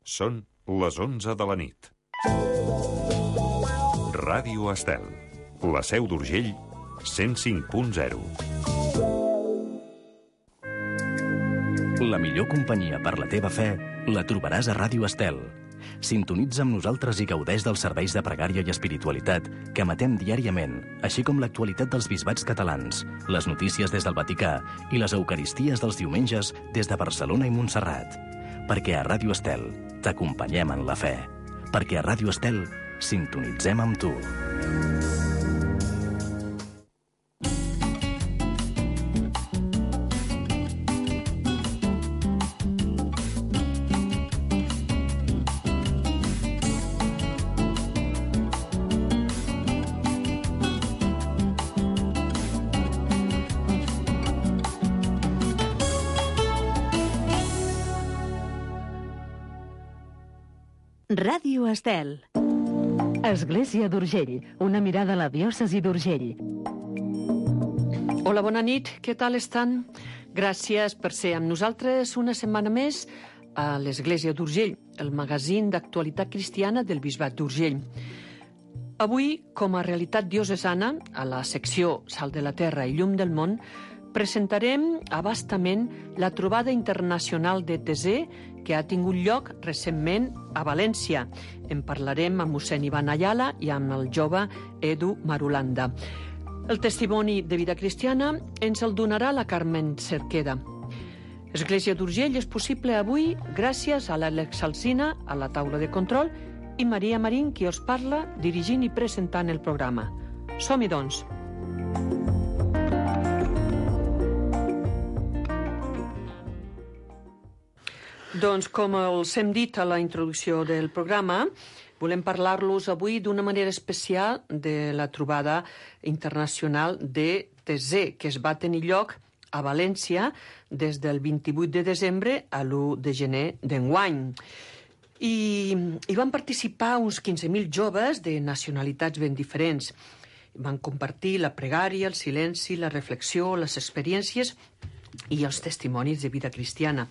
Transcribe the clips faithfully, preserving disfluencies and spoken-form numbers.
Són les onze de la nit. Ràdio Estel, la Seu d'Urgell, cent cinc punt zero. La millor companyia per la teva fe la trobaràs a Ràdio Estel. Sintonitza amb nosaltres i gaudeix dels serveis de pregària i espiritualitat que emetem diàriament, així com l'actualitat dels bisbats catalans, les notícies des del Vaticà i les eucaristies dels diumenges des de Barcelona i Montserrat. Perquè a Ràdio Estel t'acompanyem en la fe. Perquè a Ràdio Estel sintonitzem amb tu. Ràdio Estel. Església d'Urgell, una mirada a la diòcesi d'Urgell. Hola, bona nit, què tal estan? Gràcies per ser amb nosaltres una setmana més a l'Església d'Urgell, el magazín d'actualitat cristiana del Bisbat d'Urgell. Avui, com a realitat diocesana, a la secció Sal de la Terra i Llum del Món, presentarem abastament la trobada internacional de Tesè que ha tingut lloc recentment a València. En parlarem amb mossèn Ivan Ayala i amb el jove Edu Marulanda. El testimoni de vida cristiana ens el donarà la Carmen Cerqueda. Església d'Urgell és possible avui gràcies a l'Àlex Alsina, a la taula de control, i Maria Marín, qui us parla, dirigint i presentant el programa. Som-hi, doncs. Doncs, com els hem dit a la introducció del programa, volem parlar-los avui d'una manera especial de la trobada internacional de Tesè, que es va tenir lloc a València des del vint-i-vuit de desembre a l'u de gener d'enguany. I hi van participar uns quinze mil joves de nacionalitats ben diferents. Van compartir la pregària, el silenci, la reflexió, les experiències i els testimonis de vida cristiana.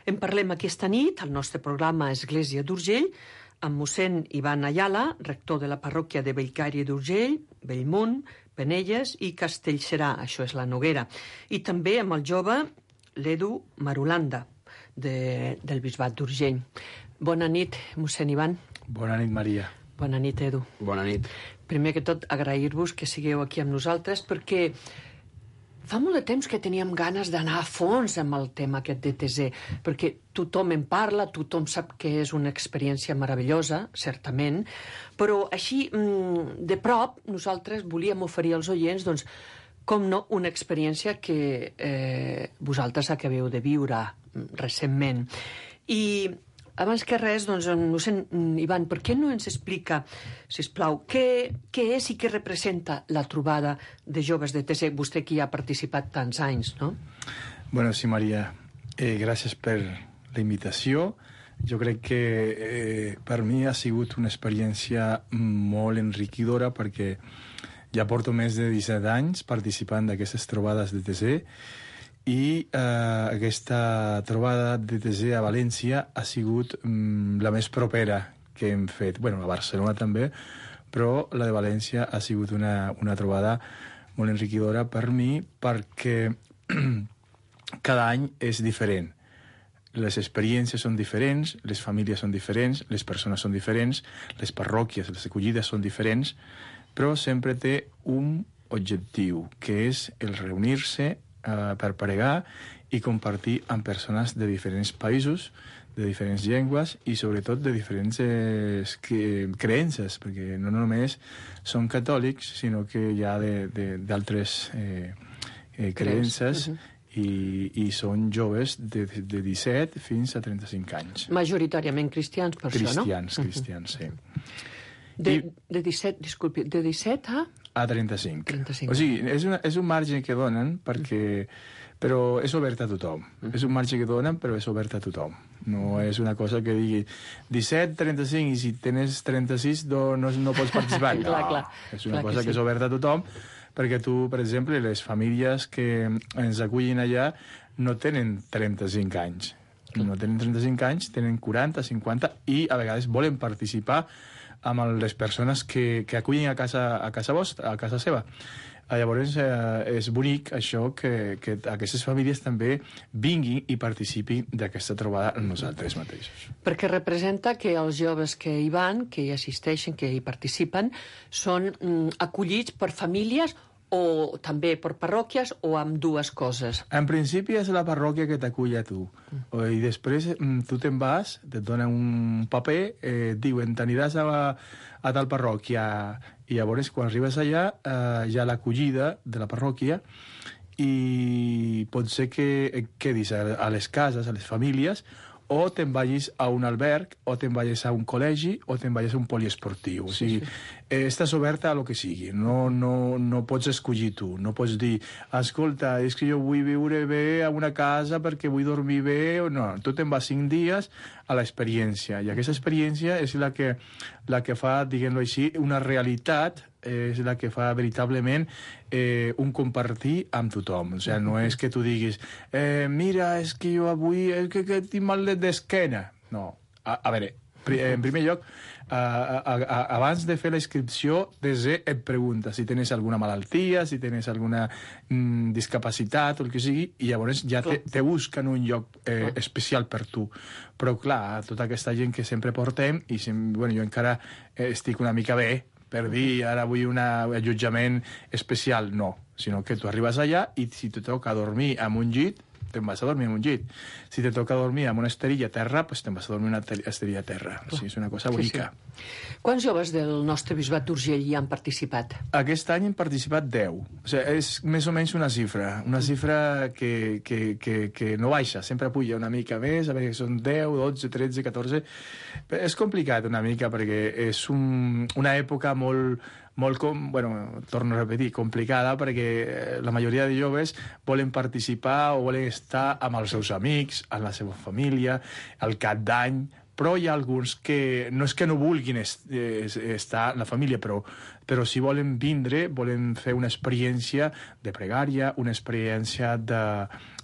En parlem aquesta nit al nostre programa Església d'Urgell amb mossèn Ivan Ayala, rector de la parròquia de Bellcaire d'Urgell, Bellmunt, Penelles i Castellserà, això és la Noguera, i també amb el jove l'Edu Marulanda de, del Bisbat d'Urgell. Bona nit, mossèn Ivan. Bona nit, Maria. Bona nit, Edu. Bona nit. Primer que tot, agrair-vos que sigueu aquí amb nosaltres perquè fa molt de temps que teníem ganes d'anar a fons amb el tema aquest de Tesè, perquè tothom en parla, tothom sap que és una experiència meravellosa, certament, però així, de prop, nosaltres volíem oferir als oients, doncs, com no, una experiència que eh, vosaltres acabeu de viure recentment. I abans que res, doncs, mossèn Ivan, per què no ens explica, sisplau, què, què és i què representa la trobada de joves de Tesè, vostè que hi ha participat tants anys, no? Bueno, sí, Maria, eh, gràcies per la invitació. Jo crec que eh, per mi ha sigut una experiència molt enriquidora perquè ja porto més de disset anys participant d'aquestes trobades de Tesè i eh, aquesta trobada de Tesè a València ha sigut mm, la més propera que hem fet. Bueno, a Barcelona també, però la de València ha sigut una, una trobada molt enriquidora per mi perquè cada any és diferent. Les experiències són diferents, les famílies són diferents, les persones són diferents, les parròquies, les acollides són diferents, però sempre té un objectiu, que és el reunir-se Uh, per pregar i compartir amb persones de diferents països, de diferents llengües i sobretot de diferents eh, creences, perquè no només són catòlics, sinó que hi ha d'altres eh, eh, creences uh -huh. i, i són joves de, de disset fins a trenta-cinc anys. Majoritàriament cristians, per cristians, això, no? Cristians, cristians, sí. De, I, de disset, disculpi, de disset a... A trenta-cinc. trenta-cinc. O sigui, és, una, és un marge que donen, perquè, però és obert a tothom. Mm. És un marge que donen, però és obert a tothom. No és una cosa que digui disset, trenta-cinc, i si tens trenta-sis no, no, no pots participar. No, clar, clar, és una clar cosa que, que, sí. que és oberta a tothom, perquè tu, per exemple, les famílies que ens acullin allà no tenen trenta-cinc anys. no tenen trenta-cinc anys, tenen quaranta, cinquanta, i a vegades volen participar amb les persones que, que acullen a casa, a casa vostra, a casa seva. Llavors, eh, és bonic això que, que aquestes famílies també vinguin i participin d'aquesta trobada amb nosaltres mateixos. Perquè representa que els joves que hi van, que hi assisteixen, que hi participen, són mm, acollits per famílies o també per parròquies o amb dues coses? En principi és la parròquia que t'acull a tu. Mm. I després mm, tu te'n vas, et donen un paper, eh, et diuen, t'aniràs a, a tal parròquia, i llavors quan arribes allà eh, hi ha l'acollida de la parròquia i pot ser que et quedis a, a les cases, a les famílies, o te'n vagis a un alberg, o te'n vagis a un col·legi, o te'n vagis a un poliesportiu. O sigui, sí, sí. Eh, estàs oberta a lo que sigui. No, no, no pots escollir tu. No pots dir, escolta, és que jo vull viure bé a una casa perquè vull dormir bé. No, tu te'n vas cinc dies a l'experiència. I aquesta experiència és la que, la que fa, diguem-ho així, una realitat, eh, és la que fa veritablement eh, un compartir amb tothom. O sigui, no és que tu diguis, eh, mira, és que jo avui és que, que tinc mal d'esquena. No. A, a veure, en primer lloc, a, a, a, abans de fer la inscripció, desè et pregunta si tens alguna malaltia, si tens alguna mm, discapacitat o el que sigui, i llavors ja te, te busquen un lloc eh, especial per tu. Però, clar, tota aquesta gent que sempre portem, i sem bueno, jo encara eh, estic una mica bé, per dir, ara vull un allotjament especial, no. Sinó que tu arribes allà i si te toca dormir en un llit, te'n vas a dormir en un llit. Si te toca dormir en una esterilla a terra, pues te'n vas a dormir en una esterilla a terra. O sigui, és una cosa bonica. Sí, sí. Quants joves del nostre bisbat d'Urgell hi han participat? Aquest any han participat deu. O sigui, és més o menys una xifra. Una xifra que, que, que, que no baixa, sempre puja una mica més, a veure, són deu, dotze, tretze, catorze... Però és complicat una mica perquè és un, una època molt... molt, com, bueno, torno a repetir, complicada, perquè la majoria de joves volen participar o volen estar amb els seus amics, amb la seva família, al cap d'any, però hi ha alguns que no és que no vulguin est estar en la família, però, però si volen vindre, volen fer una experiència de pregària, una experiència de,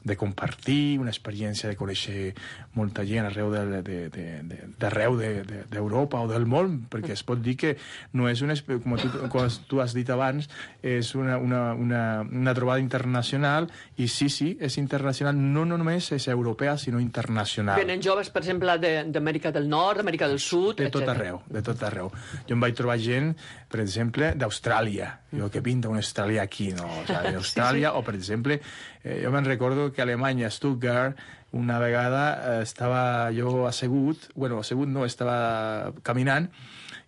de compartir, una experiència de conèixer molta gent arreu d'arreu de, de, de, de, d'Europa o del món, perquè es pot dir que no és una, com tu, com tu has dit abans, és una, una, una, una trobada internacional, i sí, sí, és internacional, no, no només és europea, sinó internacional. Venen joves, per exemple, d'Amèrica del Nord, Amèrica del Sud, de tot arreu, de tot arreu. Jo em vaig trobar gent, per exemple, d'Austràlia. Jo, què pinta un australià aquí, no? O sigui, d'Austràlia, sí, sí. O, per exemple, eh, jo me'n recordo que a Alemanya, a Stuttgart, una vegada eh, estava jo assegut, bueno, assegut no, estava caminant,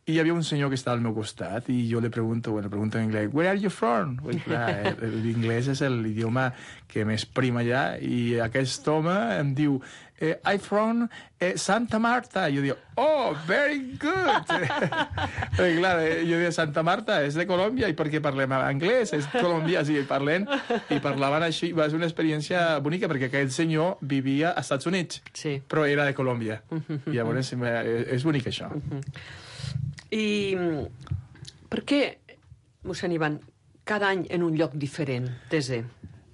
i hi havia un senyor que estava al meu costat, i jo li pregunto, bueno, pregunto en anglès, where are you from? L'inglès és l'idioma que més prima allà, i aquest home em diu, eh, I'm from eh, Santa Marta. I jo dic, oh, very good. Perquè, clar, jo dic, Santa Marta és de Colòmbia, i per què parlem anglès? És colombià, sí, parlem, i parlaven així. Va ser una experiència bonica, perquè aquell senyor vivia als Estats Units, sí, però era de Colòmbia. I llavors és bonic, això. I per què, mossèn Ivan, cada any en un lloc diferent, T-Z?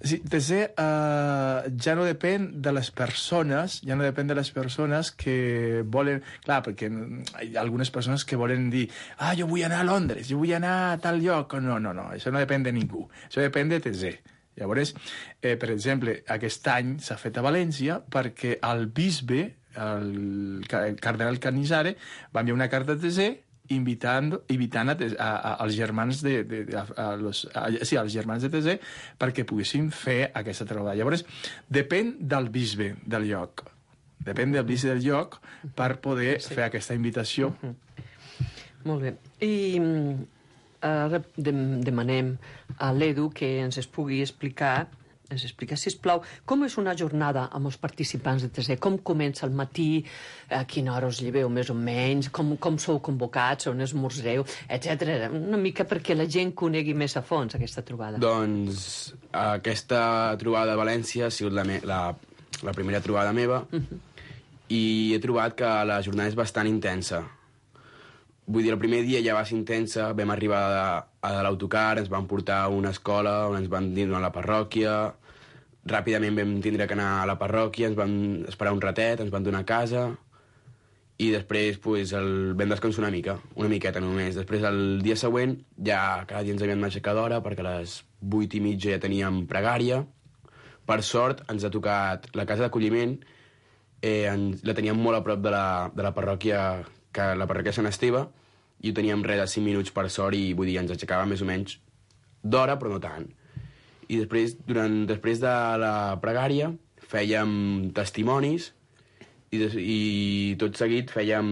Sí, T-Z uh, ja no depèn de les persones, ja no depèn de les persones que volen... Clar, perquè hi ha algunes persones que volen dir, ah, jo vull anar a Londres, jo vull anar a tal lloc. No, no, no, això no depèn de ningú, això depèn de T-Z. Llavors, eh, per exemple, aquest any s'ha fet a València perquè el bisbe, el cardenal Canizare, va enviar una carta a T-Z invitant, invitant a, a, a, als germans de, de, a, a los, a, sí, als germans de T-Z perquè poguessin fer aquesta trobada. Llavors, depèn del bisbe del lloc. Depèn del bisbe del lloc per poder sí. fer aquesta invitació. Uh-huh. Molt bé. I ara demanem a l'Edu que ens es pugui explicar ens explica, sisplau, com és una jornada amb els participants de T-Z? Com comença al matí? A quina hora us lleveu, més o menys? Com, com sou convocats? On esmorzeu? Etcètera. Una mica perquè la gent conegui més a fons aquesta trobada. Doncs aquesta trobada a València ha sigut la, me la, la primera trobada meva uh-huh. i he trobat que la jornada és bastant intensa. Vull dir, el primer dia ja va ser intensa, vam arribar a, a l'autocar, ens van portar a una escola on ens van dir a la parròquia, ràpidament vam tindre que anar a la parròquia, ens vam esperar un ratet, ens van donar casa, i després pues, el, vam descansar una mica, una miqueta només. Després, el dia següent, ja cada dia ens havíem d'aixecar d'hora, perquè a les vuit i mitja ja teníem pregària. Per sort, ens ha tocat la casa d'acolliment, eh, ens, la teníem molt a prop de la, de la parròquia, que la parròquia Sant Esteve, i ho teníem res de cinc minuts per sort, i vull dir, ens aixecàvem més o menys d'hora, però no tant. I després, durant, després de la pregària, fèiem testimonis, i, des, i tot seguit fèiem,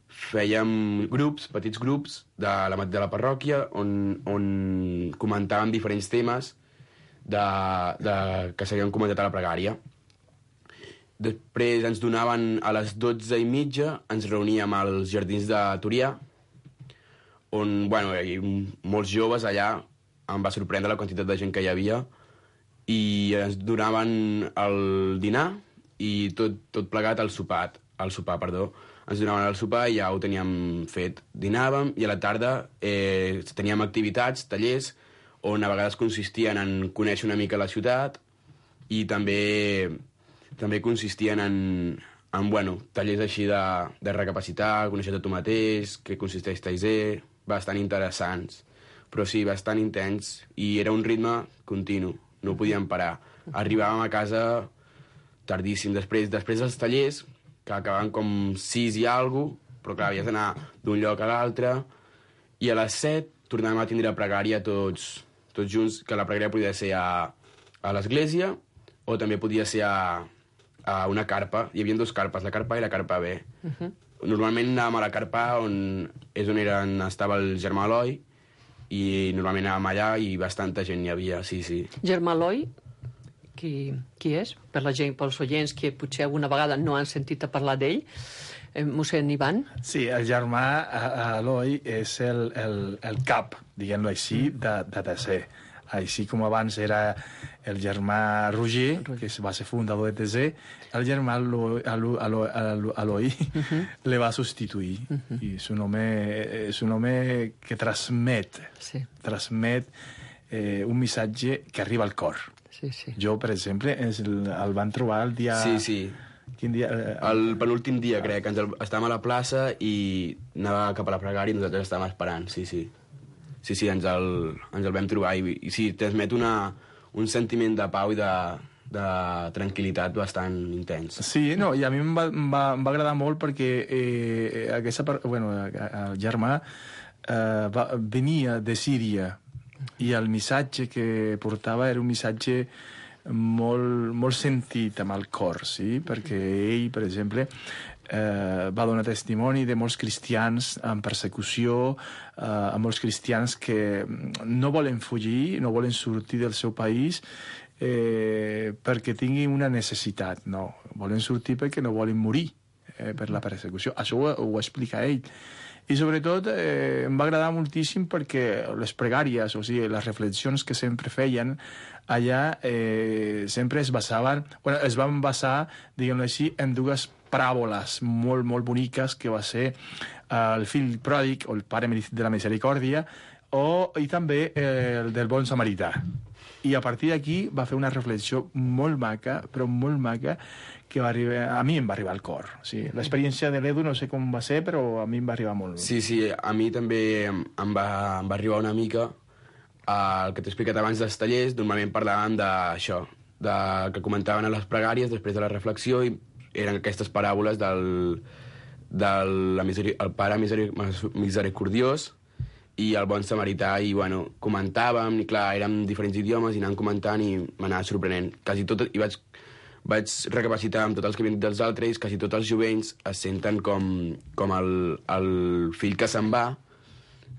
fèiem grups, petits grups de la, de la parròquia on, on comentàvem diferents temes de, de, que s'havien comentat a la pregària. Després ens donaven a les dotze i mitja, ens reuníem als Jardins de Turià, on, bueno, hi havia molts joves allà, em va sorprendre la quantitat de gent que hi havia, i ens donaven el dinar, i tot, tot plegat al sopar, al sopar, perdó. Ens donaven el sopar i ja ho teníem fet. Dinàvem i a la tarda eh, teníem activitats, tallers, on a vegades consistien en conèixer una mica la ciutat i també, també consistien en, en bueno, tallers així de, de recapacitar, conèixer tu mateix, què consisteix Taizé, bastant interessants. Però sí, bastant intens, i era un ritme continu, no podíem parar. Arribàvem a casa tardíssim. Després, després dels tallers, que acabaven com sis i alguna cosa, però clar, havies d'anar d'un lloc a l'altre, i a les set tornàvem a tindre pregària tots, tots junts, que la pregària podia ser a, a l'església o també podia ser a, a una carpa. Hi havia dues carpes, la carpa A i la carpa B. Uh -huh. Normalment anàvem a la carpa A, on és on era, on estava el germà Eloi, i normalment anàvem allà i bastanta gent hi havia, sí, sí. Germà Eloi, qui, qui és? Per la gent, pels oients que potser alguna vegada no han sentit a parlar d'ell, eh, mossèn Ivan? Sí, el germà Eloi és el, el, el cap, diguem-ho així, de, de T C. Així com abans era el germà Roger, que va ser fundador de T C, el germà Eloi uh-huh. le va substituir. Uh-huh. I és un home, és un home que transmet, sí. transmet eh, un missatge que arriba al cor. Sí, sí. Jo, per exemple, el, el van trobar el dia... Sí, sí. Quin dia? Eh, el penúltim dia, crec, ens el, estàvem a la plaça i anava cap a la pregària i nosaltres estàvem esperant, sí, sí. Sí, sí, ens el, ens el vam trobar i, i sí, transmet una, un sentiment de pau i de, de tranquil·litat bastant intens. Sí, no, i a mi em va, em va, em va agradar molt perquè eh, aquesta, bueno, el germà eh, va, venia de Síria i el missatge que portava era un missatge molt, molt sentit amb el cor, sí? Perquè ell, per exemple, eh, va donar testimoni de molts cristians en persecució, eh, a molts cristians que no volen fugir, no volen sortir del seu país eh, perquè tinguin una necessitat, no. Volen sortir perquè no volen morir eh, per la persecució. Això ho, ho explica ell. I sobretot eh, em va agradar moltíssim perquè les pregàries, o sigui, les reflexions que sempre feien allà eh, sempre es basaven, bueno, es van basar, diguem-ho així, en dues paràboles molt, molt boniques, que va ser eh, el fill pròdig, o el pare de la misericòrdia, o, i també eh, el del bon samarità. I a partir d'aquí va fer una reflexió molt maca, però molt maca, que va arribar, a mi em va arribar al cor. Sí. L'experiència de l'Edu no sé com va ser, però a mi em va arribar molt. Sí, sí, a mi també em va, em va arribar una mica el que t'he explicat abans dels tallers. Normalment parlàvem d'això, de, que comentaven a les pregàries després de la reflexió, i eren aquestes paràboles del, del la miseri, el pare miseri, misericordiós i el bon samarità, i bueno, comentàvem, i clar, érem diferents idiomes, i anàvem comentant i m'anava sorprenent. Quasi tot, i vaig, vaig recapacitar amb tots els que havien dit dels altres, quasi tots els jovenys es senten com, com el, el fill que se'n va,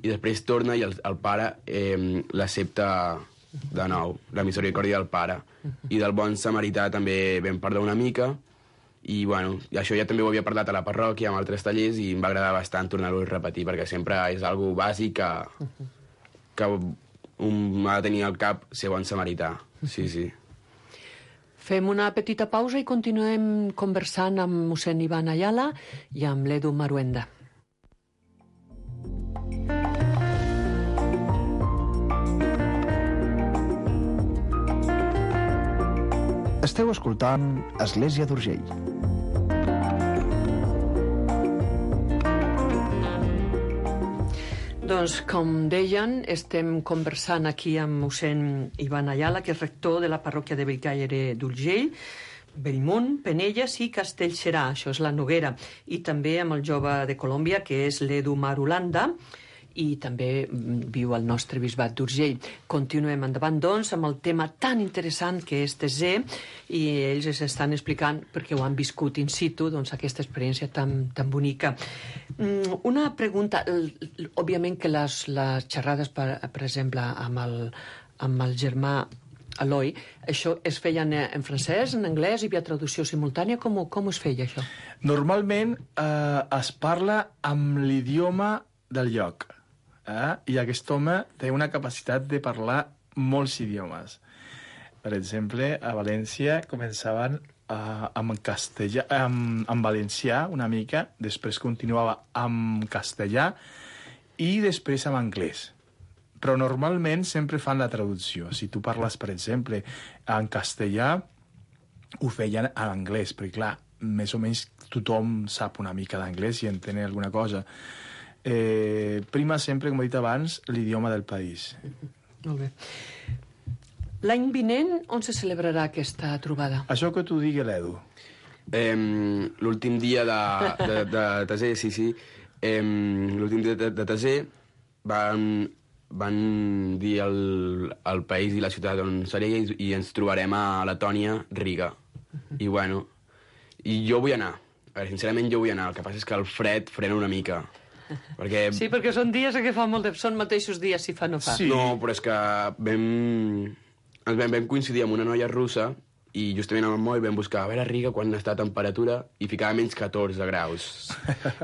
i després torna i el, el pare eh, l'accepta de nou, la misericòrdia del pare. I del bon samarità també vam parlar una mica, i bueno, i això ja també ho havia parlat a la parròquia amb altres tallers, i em va agradar bastant tornar-ho a repetir, perquè sempre és algo bàsic que, que un ha de tenir al cap ser bon samarità. Sí, sí. Fem una petita pausa i continuem conversant amb mossèn Ivan Ayala i amb l'Edu Maruenda. Esteu escoltant Església d'Urgell. Doncs, com deien, estem conversant aquí amb mossèn Ivan Ayala, que és rector de la parròquia de Bellcaire d'Urgell, Bellmunt, Penelles i Castellserà, això és la Noguera, i també amb el jove de Colòmbia, que és l'Edu Marulanda, i també viu al nostre bisbat d'Urgell. Continuem endavant, doncs, amb el tema tan interessant que és T Z, i ells es estan explicant, perquè ho han viscut in situ, doncs, aquesta experiència tan, tan bonica. Una pregunta, òbviament que les, les xerrades, per, per exemple, amb el, amb el germà Eloi, això es feien en francès, en anglès, hi havia traducció simultània, com, com es feia això? Normalment eh, es parla amb l'idioma del lloc. Eh? I aquest home té una capacitat de parlar molts idiomes. Per exemple, a València començaven uh, amb castellà, amb, amb valencià una mica, després continuava amb castellà i després amb anglès. Però normalment sempre fan la traducció. Si tu parles, per exemple, en castellà, ho feien en anglès, perquè clar, més o menys tothom sap una mica d'anglès i entén alguna cosa. Eh, prima sempre, com he dit abans, l'idioma del país. Molt bé. L'any vinent, on se celebrarà aquesta trobada? Això que t'ho digui l'Edu. Eh, l'últim dia de, de, de Taser, sí, sí. Eh, l'últim dia de, de Taser van, van dir al, al país i la ciutat on seria i, i ens trobarem a Letònia, Riga. I bueno, i jo vull anar. A veure, sincerament jo vull anar. El que passa és que el fred frena una mica. Perquè... Sí, perquè són dies que fa molt de... Són mateixos dies, si fa no fa. Sí. No, però és que vam... Ens vam, vam coincidir amb una noia russa i justament amb el mòbil vam buscar a veure a Riga quan està a temperatura i ficava menys catorze graus.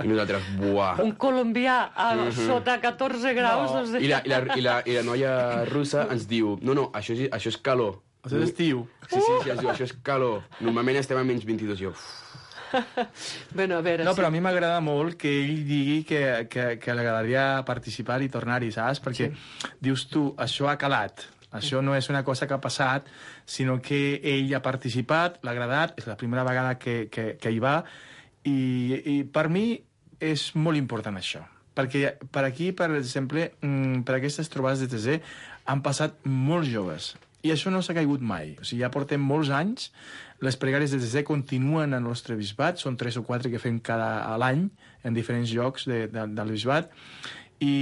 I nosaltres, buah... Un colombià a uh-huh. sota catorze graus... No. Doncs... I, la, i, la, i, la, I la noia russa ens diu no, no, això és, això és calor. Això és estiu. Sí, sí, sí, ens diu, això és calor. Normalment estem a menys vint-i-dos. Jo... Bueno, a veure, no, sí. però a mi m'agrada molt que ell digui que, que, que li agradaria participar i tornar-hi, saps? Perquè sí. Dius tu, això ha calat, això no és una cosa que ha passat, sinó que ell ha participat, l'ha agradat, és la primera vegada que, que, que hi va, i, i per mi és molt important això. Perquè per aquí, per exemple, per aquestes trobades de T Z, han passat molts joves, i això no s'ha caigut mai. O sigui, ja portem molts anys, les pregàries de T Z continuen al nostre bisbat, són tres o quatre que fem cada a l'any en diferents llocs de, de, del bisbat, i,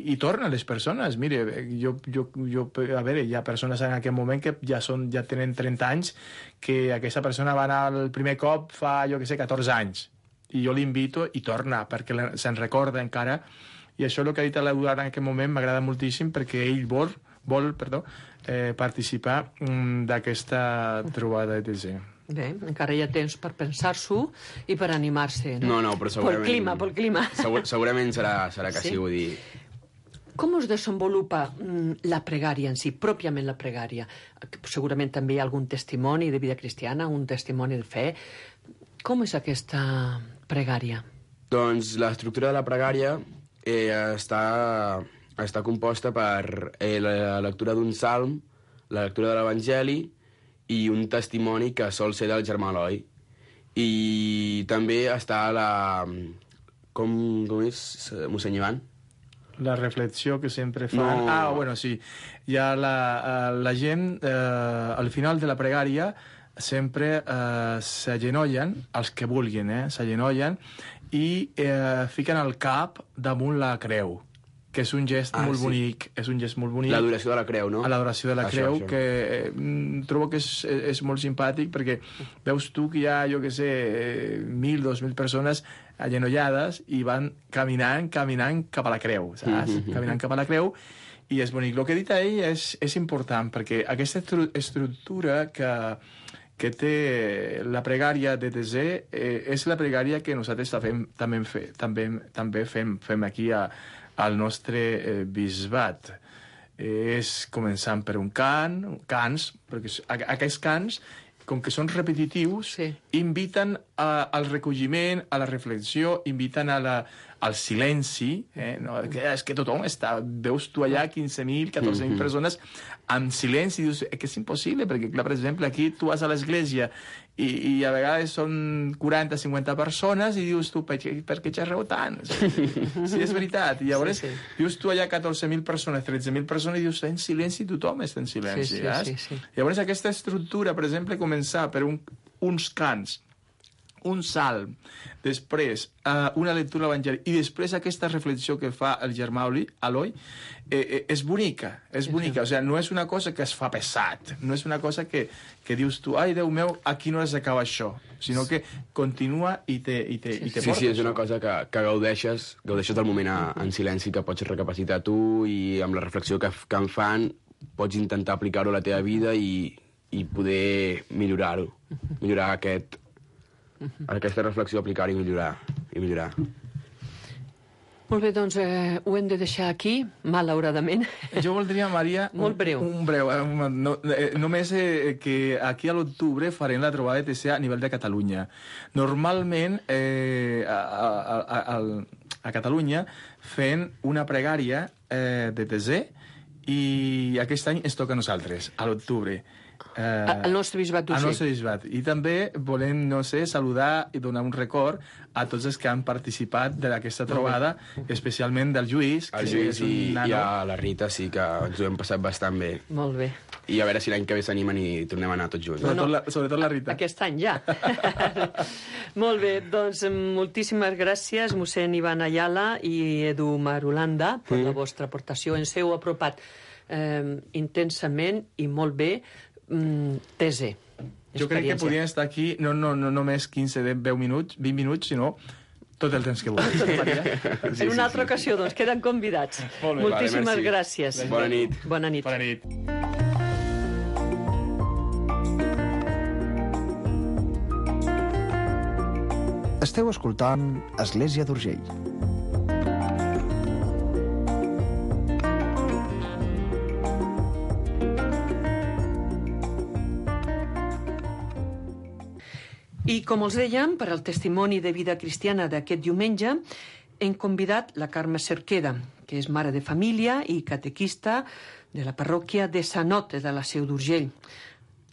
i tornen les persones. Mire, jo, jo, jo, a veure, hi ha persones en aquest moment que ja, són, ja tenen trenta anys, que aquesta persona va anar el primer cop fa, jo què sé, catorze anys, i jo l'invito i torna, perquè se'n recorda encara, i això és el que ha dit l'Eduard en aquest moment m'agrada moltíssim, perquè ell vol, vol perdó, eh, participar mm, d'aquesta trobada de T Z. Bé, encara hi ha temps per pensar-s'ho i per animar-se, no? No, no, però segurament... Pel clima, pel clima. Segur, segurament serà, serà que sí, sí, vull dir... Com es desenvolupa mm, la pregària en si, pròpiament la pregària? Segurament també hi ha algun testimoni de vida cristiana, un testimoni de fe. Com és aquesta pregària? Doncs l'estructura de la pregària eh, està, està composta per eh, la lectura d'un salm, la lectura de l'Evangeli i un testimoni que sol ser del germà Eloi. I també està la... Com, com és, mossèn Ivan? La reflexió que sempre fan... No. Ah, bueno, sí. Hi ha la, la gent, eh, al final de la pregària, sempre eh, s'agenollen, els que vulguin, eh, s'agenollen, i eh, fiquen el cap damunt la creu, que és un gest ah, molt sí. bonic, és un gest molt bonic. L'adoració de la creu, no? L'adoració de la això, creu, això. que eh, trobo que és, és molt simpàtic, perquè veus tu que hi ha, jo què sé, mil, dos mil persones agenollades i van caminant, caminant cap a la creu, saps? Mm-hmm. Caminant cap a la creu, i és bonic. El que ha dit ell és, és important, perquè aquesta estructura que, que té la pregària de T Z eh, és la pregària que nosaltres fem, també, fe, també, també fem, fem aquí a, al nostre eh, bisbat. Eh, és començant per un cant, cants, perquè aquests cants com que són repetitius, Sí. inviten a, al recolliment, a la reflexió, inviten a la, al silenci, eh? No, que és que tothom està... Veus tu allà quinze mil, catorze mil persones amb silenci, i dius eh, que és impossible, perquè, clar, per exemple, aquí tu vas a l'església i, i a vegades són quaranta cinquanta persones i dius tu, per què, per què xerreu tant? Sí, sí, és veritat. I llavors Sí, sí. dius tu allà catorze mil persones, tretze mil persones, i dius, en silenci, tothom està en silenci. Sí, sí, saps? sí, sí. Llavors aquesta estructura, per exemple, començar per un, uns cants, un salm, després uh, una lectura evangèlica i després aquesta reflexió que fa el germà Eloi, eh, eh, és bonica, és bonica. O sigui, no és una cosa que es fa pesat, no és una cosa que, que dius tu, ai, Déu meu, aquí no s'acaba això, sinó que continua i te, i te, i te Sí, porta sí, és això. una cosa que, que gaudeixes, gaudeixes del moment a, en silenci, que pots recapacitar tu i amb la reflexió que, que en fan pots intentar aplicar-ho a la teva vida i, i poder millorar-ho, millorar aquest, aquesta reflexió, aplicar-ho i millorar, i millorar. Molt bé, doncs eh, ho hem de deixar aquí, malauradament. Jo voldria, Maria... Molt breu. Un, un breu. Eh, un, no, eh, només eh, que aquí a l'octubre farem la trobada de T C a nivell de Catalunya. Normalment, eh, a, a, a, a, a Catalunya fent una pregària eh, de T C i aquest any ens toca a nosaltres, a l'octubre. Eh, Al nostre bisbat al d'Urgell. nostre bisbat. I també volem, no sé, saludar i donar un record a tots els que han participat d'aquesta trobada, especialment del Lluís, El que Lluís és un i, nano. i a la Rita sí que ens ho hem passat bastant bé. Molt bé. I a veure si l'any que ve s'animen i tornem a anar tots junts. Sobretot, la, sobretot la Rita. Aquest any ja. Molt bé, doncs moltíssimes gràcies, mossèn Ivan Ayala i Edu Marulanda, per la vostra aportació. Ens heu apropat eh, intensament i molt bé mm, T Z. Jo crec que podien estar aquí no, no, no només quinze, deu minuts, vint minuts, sinó tot el temps que vulguis. Maria. En una altra ocasió, doncs, queden convidats. Molt bé, Moltíssimes vale, merci. gràcies. Bona nit. Bona nit. Bona nit. Esteu escoltant Església d'Urgell. I com els dèiem, per al testimoni de vida cristiana d'aquest diumenge, hem convidat la Carme Cerqueda, que és mare de família i catequista de la parròquia de Sanote, de la Seu d'Urgell.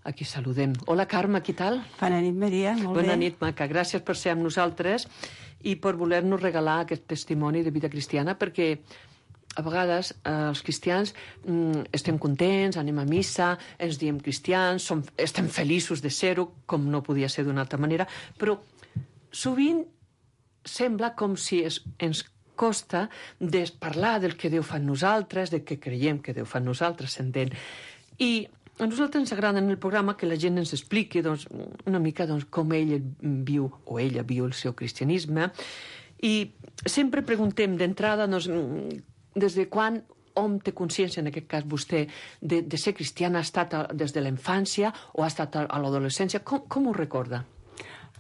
Aquí saludem. Hola, Carme, què tal? Bona nit, Maria, molt Bona bé. nit, maca. Gràcies per ser amb nosaltres i per voler-nos regalar aquest testimoni de vida cristiana, perquè a vegades eh, els cristians mm, estem contents, anem a missa, ens diem cristians, som, estem feliços de ser-ho, com no podia ser d'una altra manera, però sovint sembla com si es, ens costa de parlar del que Déu fa en nosaltres, de què creiem que Déu fa en nosaltres, s'entén. I a nosaltres ens agrada en el programa que la gent ens expliqui doncs, una mica doncs, com ell viu, o ella viu el seu cristianisme, i sempre preguntem d'entrada doncs, des de quan hom té consciència, en aquest cas vostè, de, de ser cristiana, ha estat a, des de la infància o ha estat a, a l'adolescència? Com, com ho recorda?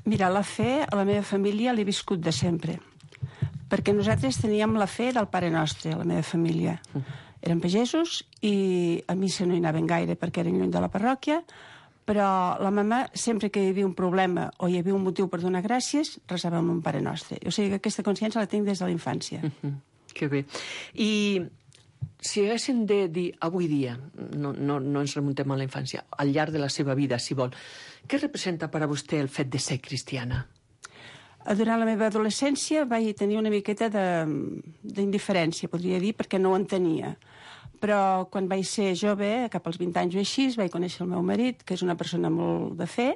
Mira, la fe a la meva família l'he viscut de sempre, perquè nosaltres teníem la fe del Pare Nostre, a la meva família. Érem pagesos i a missa no hi anaven gaire perquè eren lluny de la parròquia, però la mama, sempre que hi havia un problema o hi havia un motiu per donar gràcies, resava amb un Pare Nostre. O sigui que aquesta consciència la tinc des de la infància. Mm, que bé. I si haguéssim de dir avui dia, no, no, no ens remuntem a la infància, al llarg de la seva vida, si vol, què representa per a vostè el fet de ser cristiana? Durant la meva adolescència vaig tenir una miqueta d'indiferència, podria dir, perquè no ho entenia. Però quan vaig ser jove, cap als vint anys o així, vaig conèixer el meu marit, que és una persona molt de fe,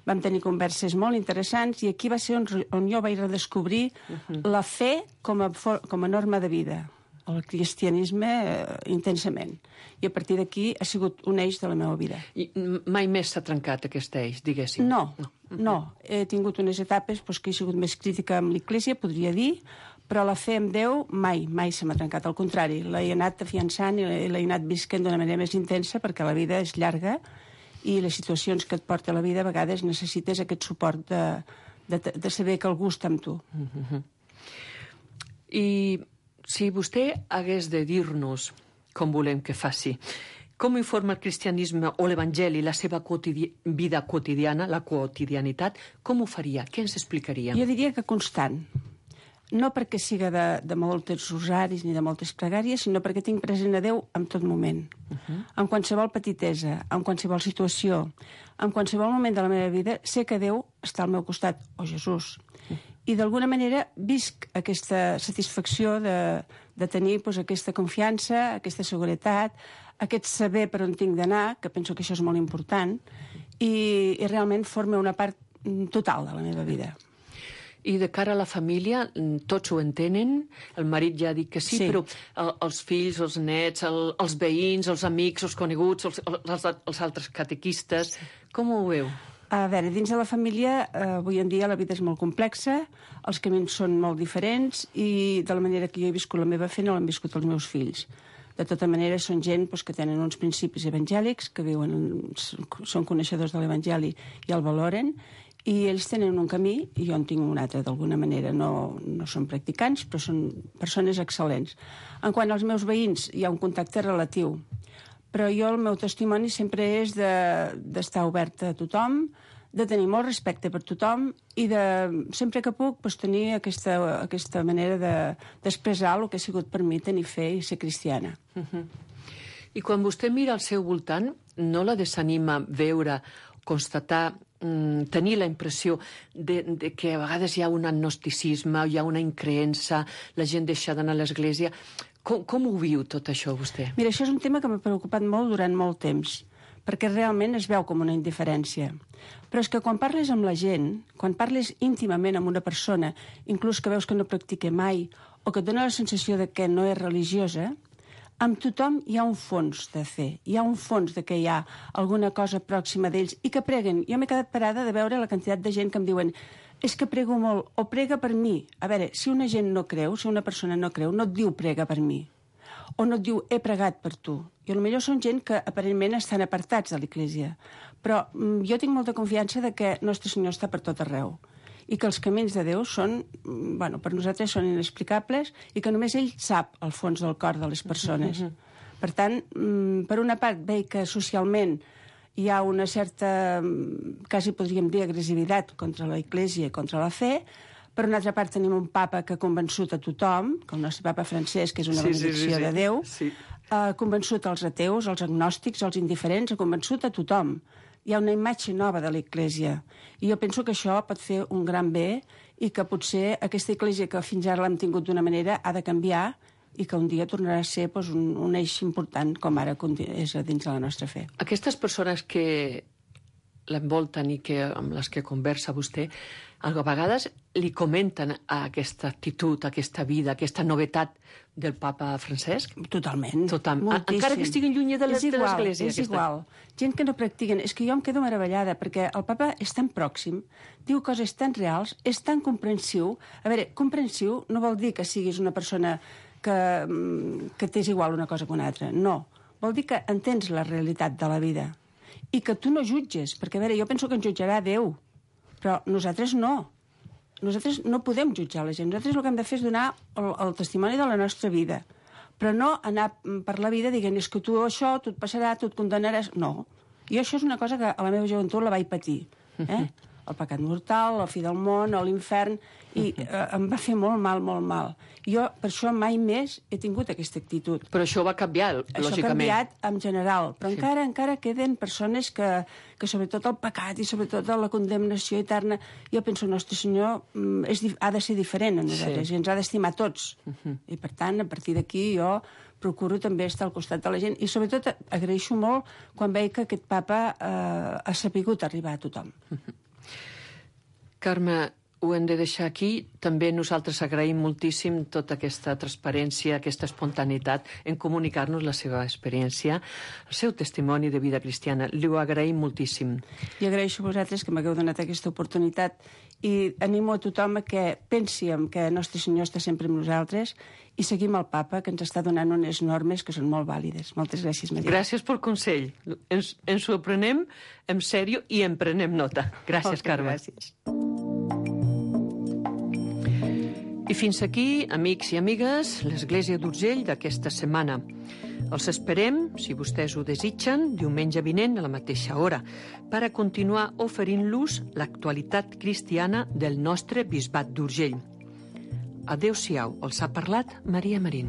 vam tenir converses molt interessants i aquí va ser on, on jo vaig redescobrir uh-huh. la fe com a, com a norma de vida, el cristianisme eh, intensament. I a partir d'aquí ha sigut un eix de la meva vida. I mai més s'ha trencat aquest eix, diguéssim? No, no. no. He tingut unes etapes doncs, que he sigut més crítica amb l'Església, podria dir, però la fe en Déu mai, mai se m'ha trencat. Al contrari, l'he anat afiançant i l'he anat visquent d'una manera més intensa perquè la vida és llarga i les situacions que et porta la vida a vegades necessites aquest suport de, de, de saber que algú està amb tu. Uh-huh. I si vostè hagués de dir-nos, com volem que faci, Com informa el cristianisme o l'Evangeli la seva quotidi vida quotidiana, la quotidianitat? Com ho faria? Què ens explicaria? Jo diria que constant. No perquè siga de, de molts rosaris ni de moltes pregàries, sinó perquè tinc present a Déu en tot moment. Uh -huh. En qualsevol petitesa, en qualsevol situació, en qualsevol moment de la meva vida, sé que Déu està al meu costat, o Jesús. Uh -huh. I d'alguna manera visc aquesta satisfacció de, de tenir doncs, aquesta confiança, aquesta seguretat, aquest saber per on tinc d'anar, que penso que això és molt important, i, i realment forma una part total de la meva vida. I de cara a la família, tots ho entenen? El marit ja ha dit que sí, sí. Però el, els fills, els nets, el, els veïns, els amics, els coneguts, els, els, els altres catequistes, com ho veu? A veure, dins de la família, eh, avui en dia la vida és molt complexa, els camins són molt diferents i de la manera que jo he viscut la meva fe no l'han viscut els meus fills. De tota manera, són gent doncs, que tenen uns principis evangèlics, que viuen, són coneixedors de l'Evangeli i el valoren, i ells tenen un camí i jo en tinc un altre, d'alguna manera. No, no són practicants, però són persones excel·lents. En quant als meus veïns, hi ha un contacte relatiu, però jo el meu testimoni sempre és d'estar de, oberta a tothom, de tenir molt respecte per tothom i de, sempre que puc, doncs, tenir aquesta, aquesta manera d'expressar de, el que ha sigut per mi tenir fe i ser cristiana. Uh-huh. I quan vostè mira al seu voltant, no la desanima veure, constatar, tenir la impressió de, de que a vegades hi ha un agnosticisme, hi ha una increença, la gent deixa d'anar a l'església. Com, com ho viu tot això, vostè? Mira, això és un tema que m'ha preocupat molt durant molt temps, perquè realment es veu com una indiferència. Però és que quan parles amb la gent, quan parles íntimament amb una persona, inclús que veus que no practica mai, o que et dona la sensació de que no és religiosa, amb tothom hi ha un fons de fe, hi ha un fons de que hi ha alguna cosa pròxima d'ells i que preguen. Jo m'he quedat parada de veure la quantitat de gent que em diuen és que prego molt, o prega per mi. A veure, si una gent no creu, si una persona no creu, no et diu prega per mi, o no et diu he pregat per tu. I potser són gent que aparentment estan apartats de l'Església, però jo tinc molta confiança de que Nostre Senyor està per tot arreu i que els camins de Déu són, bueno, per nosaltres són inexplicables i que només ell sap el fons del cor de les persones. Uh-huh. Per tant, per una part, veig que socialment hi ha una certa, quasi podríem dir, agressivitat contra la Església i contra la fe. Per una altra part, tenim un papa que ha convençut a tothom, que el nostre papa Francesc, que és una sí, benedicció sí, sí, sí. de Déu, sí. ha convençut els ateus, els agnòstics, els indiferents, ha convençut a tothom. Hi ha una imatge nova de l'Església. I jo penso que això pot fer un gran bé i que potser aquesta Església que fins ara l'hem tingut d'una manera ha de canviar i que un dia tornarà a ser doncs, un, un eix important com ara és dins de la nostra fe. Aquestes persones que l'envolten i que, amb les que conversa vostè, a vegades li comenten a aquesta actitud, a aquesta vida, a aquesta novetat del papa Francesc? Totalment. Total. Encara que estiguin lluny de l'Església. És aquesta. igual. Gent que no practiquen. És que jo em quedo meravellada, perquè el papa és tan pròxim, diu coses tan reals, és tan comprensiu. A veure, comprensiu no vol dir que siguis una persona que, que t'és igual una cosa que una altra. No. Vol dir que entens la realitat de la vida i que tu no jutges, perquè, a veure, jo penso que ens jutjarà Déu, però nosaltres no. Nosaltres no podem jutjar la gent. Nosaltres el que hem de fer és donar el, el testimoni de la nostra vida, però no anar per la vida dient és que tu això, tu et passarà, tu et condemnaràs. No. I això és una cosa que a la meva joventut la vaig patir. Eh? El pecat mortal, la fi del món, l'infern, i eh, em va fer molt mal, molt mal. Jo, per això, mai més he tingut aquesta actitud. Però això va canviar, lògicament. Això ha canviat en general, però sí. encara encara queden persones que, que sobretot el pecat i sobretot la condemnació eterna, jo penso, el nostre Senyor és, ha de ser diferent a nosaltres, sí. i ens ha d'estimar tots. Uh-huh. I, per tant, a partir d'aquí jo procuro també estar al costat de la gent, i sobretot agraeixo molt quan veig que aquest papa eh, ha sapigut arribar a tothom. Uh-huh. Carme, ho hem de deixar aquí. També nosaltres agraïm moltíssim tota aquesta transparència, aquesta espontaneïtat en comunicar-nos la seva experiència, el seu testimoni de vida cristiana. Li ho agraïm moltíssim. I agraeixo a vosaltres que m'hagueu donat aquesta oportunitat i animo a tothom a que pensi en que el nostre Senyor està sempre amb nosaltres i seguim el papa, que ens està donant unes normes que són molt vàlides. Moltes gràcies, Maria. Gràcies pel consell. Ens, ens ho aprenem en sèrio i en prenem nota. Gràcies, Carme. Gràcies. I fins aquí, amics i amigues, l'Església d'Urgell d'aquesta setmana. Els esperem, si vostès ho desitgen, diumenge vinent a la mateixa hora, per a continuar oferint-los l'actualitat cristiana del nostre bisbat d'Urgell. Adéu-siau, els ha parlat Maria Marín.